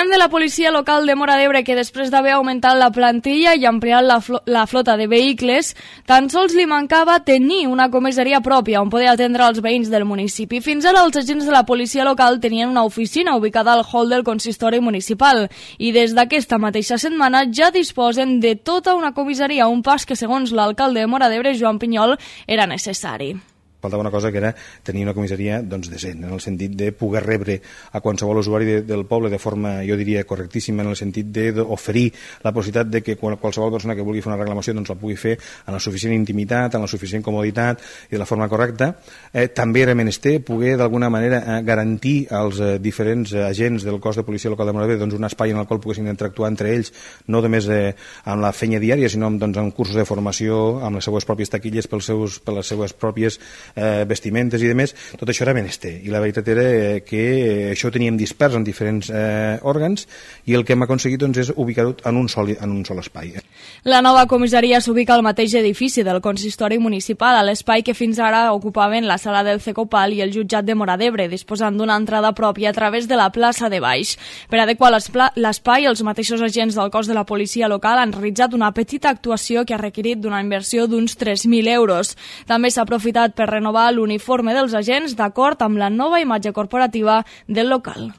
De la policia local de Móra d'Ebre, que després d'haver augmentat la plantilla i ampliat la flota de vehicles, tan sols li mancava tenir una comissaria pròpia on poder atendre els veïns del municipi. Fins ara els agents de la policia local tenien una oficina ubicada al hall del consistori municipal i des d'aquesta mateixa setmana ja disposen de tota una comissaria, un pas que segons l'alcalde de Móra d'Ebre, Joan Pinyol, era necessari. Faltava una cosa que era tenir una comissaria decent, en el sentit de poder rebre a qualsevol usuari del poble de forma, jo diria, correctíssima, en el sentit d'oferir la possibilitat de que qualsevol persona que vulgui fer una reclamació la pugui fer en la suficient intimitat, en la suficient comoditat i de la forma correcta. També era menester poder d'alguna manera garantir als diferents agents del cos de policia local de Móra d'Ebre un espai en el qual poguessin interactuar entre ells, no només amb la feina diària, sinó amb cursos de formació, amb les seues pròpies taquilles, per les seues pròpies vestimentes i demés. Tot això era menester i la veritat era que això ho teníem dispers en diferents òrgans i el que hem aconseguit és ubicar-ho en un sol espai. La nova comissaria s'ubica al mateix edifici del consistori municipal, a l'espai que fins ara ocupaven la sala del CECOPAL i el jutjat de Móra d'Ebre, disposant d'una entrada pròpia a través de la plaça de Baix. Per adequar l'espai, els mateixos agents del cos de la policia local han realitzat una petita actuació que ha requerit d'una inversió d'uns 3.000 euros. També s'ha aprofitat per renovar l'uniforme dels agents d'acord amb la nova imatge corporativa del local.